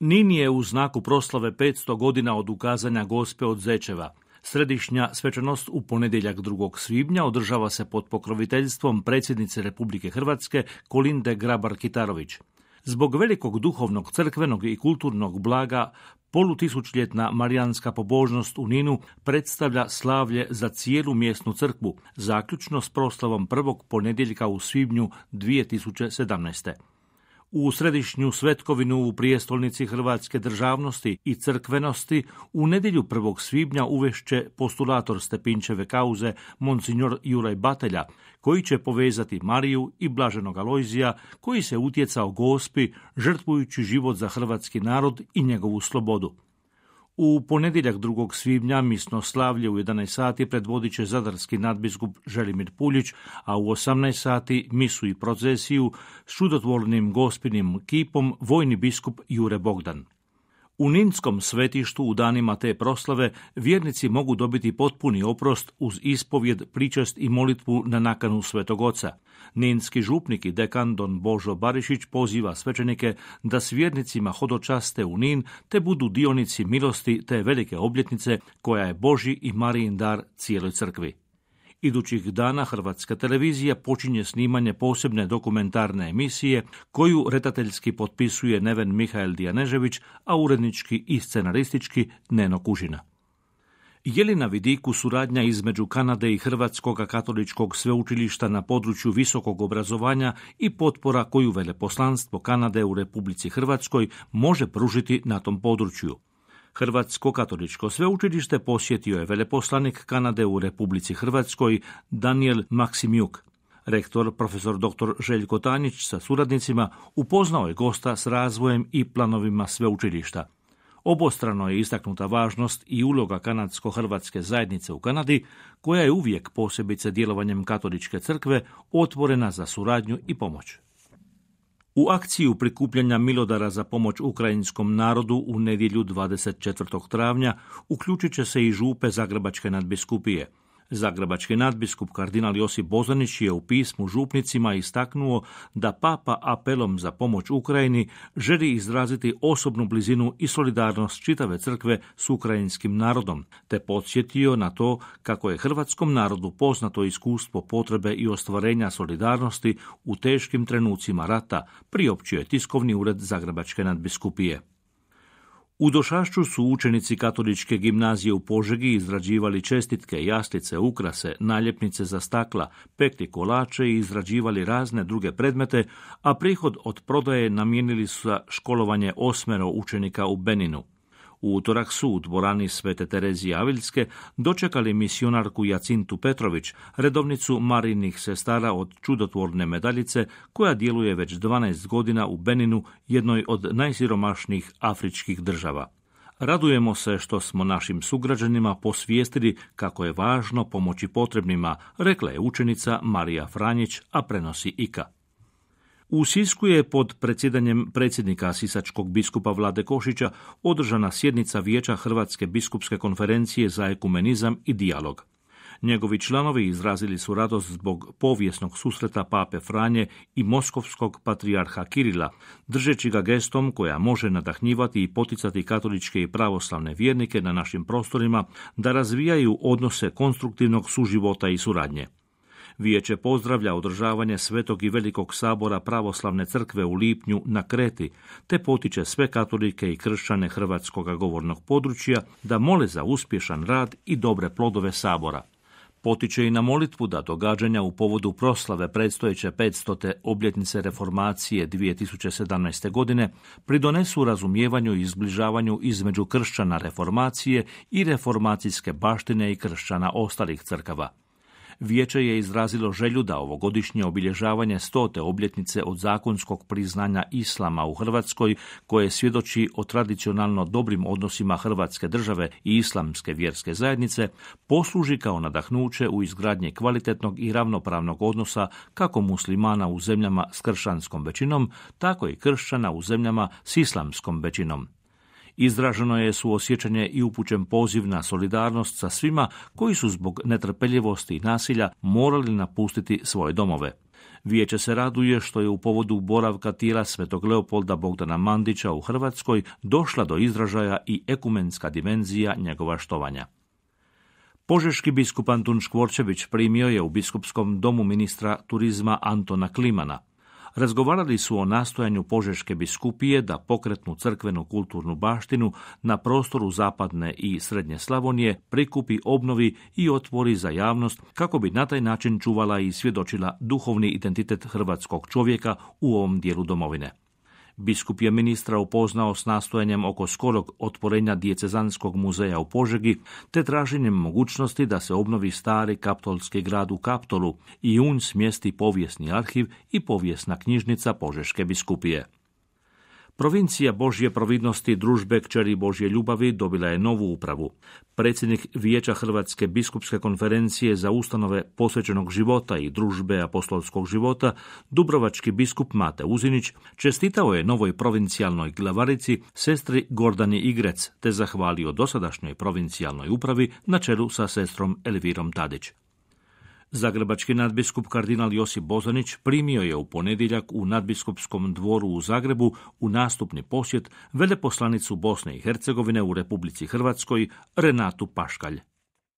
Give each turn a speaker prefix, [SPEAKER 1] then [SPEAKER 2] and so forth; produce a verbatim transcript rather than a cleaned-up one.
[SPEAKER 1] Nin je u znaku proslave petsto godina od ukazanja Gospe od Zečeva. Središnja svečanost u ponedjeljak drugog svibnja održava se pod pokroviteljstvom predsjednice Republike Hrvatske Kolinde Grabar-Kitarović. Zbog velikog duhovnog, crkvenog i kulturnog blaga, polutisućljetna marijanska pobožnost u Ninu predstavlja slavlje za cijelu mjesnu crkvu, zaključno s proslavom prvog ponedjeljka u svibnju dvije tisuće sedamnaeste. U središnju svetkovinu u prijestolnici hrvatske državnosti i crkvenosti u nedjelju prvog svibnja uvešće postulator Stepinčeve kauze monsignor Juraj Batelja, koji će povezati Mariju i blaženog Alojzija, koji se utjecao Gospi žrtvujući život za hrvatski narod i njegovu slobodu. U ponedjeljak drugog svibnja misno slavlje u jedanaest sati predvodit će zadarski nadbiskup Želimir Puljić, a u osamnaest sati misu i procesiju s čudotvornim gospinim kipom vojni biskup Jure Bogdan. U Ninskom svetištu u danima te proslave vjernici mogu dobiti potpuni oprost uz ispovjed, pričest i molitvu na nakanu Svetog Oca. Ninski župnik i dekan don Božo Barišić poziva svećenike da s vjernicima hodočaste u Nin te budu dionici milosti te velike obljetnice koja je Božji i Marijin dar cijeloj crkvi. Idućih dana Hrvatska televizija počinje snimanje posebne dokumentarne emisije koju redateljski potpisuje Neven Mihael Dijanežević, a urednički i scenaristički Neno Kužina. Je li na vidiku suradnja između Kanade i Hrvatskog katoličkog sveučilišta na području visokog obrazovanja i potpora koju veleposlanstvo Kanade u Republici Hrvatskoj može pružiti na tom području? Hrvatsko katoličko sveučilište posjetio je veleposlanik Kanade u Republici Hrvatskoj Daniel Maksimjuk. Rektor profesor doktor Željko Tanjić sa suradnicima upoznao je gosta s razvojem i planovima sveučilišta. Obostrano je istaknuta važnost i uloga kanadsko-hrvatske zajednice u Kanadi, koja je uvijek, posebice djelovanjem katoličke crkve, otvorena za suradnju i pomoć. U akciju prikupljanja milodara za pomoć ukrajinskom narodu u nedjelju dvadeset četvrtog travnja uključit će se i župe Zagrebačke nadbiskupije. Zagrebački nadbiskup kardinal Josip Bozanić je u pismu župnicima istaknuo da papa apelom za pomoć Ukrajini želi izraziti osobnu blizinu i solidarnost čitave crkve s ukrajinskim narodom, te podsjetio na to kako je hrvatskom narodu poznato iskustvo potrebe i ostvarenja solidarnosti u teškim trenucima rata, priopćio je tiskovni ured Zagrebačke nadbiskupije. U Došašću su učenici katoličke gimnazije u Požegi izrađivali čestitke, jaslice, ukrase, naljepnice za stakla, pekli kolače i izrađivali razne druge predmete, a prihod od prodaje namijenili su za školovanje osmero učenika u Beninu. U utorak su u dvorani Svete Terezije Aviljske dočekali misionarku Jacintu Petrović, redovnicu Marijinih sestara od čudotvorne medaljice, koja djeluje već dvanaest godina u Beninu, jednoj od najsiromašnijih afričkih država. Radujemo se što smo našim sugrađanima posvijestili kako je važno pomoći potrebnima, rekla je učenica Marija Franjić, a prenosi I K A. U Sisku je pod predsjedanjem predsjednika sisačkog biskupa Vlade Košića održana sjednica Vijeća Hrvatske biskupske konferencije za ekumenizam i dijalog. Njegovi članovi izrazili su radost zbog povijesnog susreta pape Franje i moskovskog patrijarha Kirila, držeći ga gestom koja može nadahnjivati i poticati katoličke i pravoslavne vjernike na našim prostorima da razvijaju odnose konstruktivnog suživota i suradnje. Vijeće pozdravlja održavanje Svetog i Velikog sabora pravoslavne crkve u lipnju na Kreti, te potiče sve katolike i kršćane hrvatskog govornog područja da mole za uspješan rad i dobre plodove sabora. Potiče i na molitvu da događanja u povodu proslave predstojeće petstote obljetnice reformacije dvije tisuće sedamnaeste. godine pridonesu razumijevanju i izbližavanju između kršćana reformacije i reformacijske baštine i kršćana ostalih crkava. Vijeće je izrazilo želju da ovogodišnje obilježavanje stote obljetnice od zakonskog priznanja islama u Hrvatskoj, koje svjedoči o tradicionalno dobrim odnosima Hrvatske države i islamske vjerske zajednice, posluži kao nadahnuće u izgradnji kvalitetnog i ravnopravnog odnosa kako muslimana u zemljama s kršćanskom većinom, tako i kršćana u zemljama s islamskom većinom. Izraženo je suosjećanje i upućen poziv na solidarnost sa svima koji su zbog netrpeljivosti i nasilja morali napustiti svoje domove. Vijeće se raduje što je u povodu boravka tijela svetog Leopolda Bogdana Mandića u Hrvatskoj došla do izražaja i ekumenska dimenzija njegova štovanja. Požeški biskup Antun Škvorčević primio je u biskupskom domu ministra turizma Antona Klimana. Razgovarali su o nastojanju Požeške biskupije da pokretnu crkvenu kulturnu baštinu na prostoru zapadne i srednje Slavonije prikupi, obnovi i otvori za javnost kako bi na taj način čuvala i svjedočila duhovni identitet hrvatskog čovjeka u ovom dijelu domovine. Biskup je ministra upoznao s nastojanjem oko skorog otvorenja dijecezanskog muzeja u Požegi, te traženjem mogućnosti da se obnovi stari kaptolski grad u Kaptolu i u nj smjesti povijesni arhiv i povijesna knjižnica Požeške biskupije. Provincija Božje providnosti Družbe kćeri Božje ljubavi dobila je novu upravu. Predsjednik Vijeća Hrvatske biskupske konferencije za ustanove posvećenog života i Družbe apostolskog života, dubrovački biskup Mate Uzinić, čestitao je novoj provincijalnoj glavarici, sestri Gordani Igrec, te zahvalio dosadašnjoj provincijalnoj upravi na čelu sa sestrom Elvirom Tadić. Zagrebački nadbiskup kardinal Josip Bozanić primio je u ponedjeljak u nadbiskupskom dvoru u Zagrebu u nastupni posjet veleposlanicu Bosne i Hercegovine u Republici Hrvatskoj Renatu Paškalj.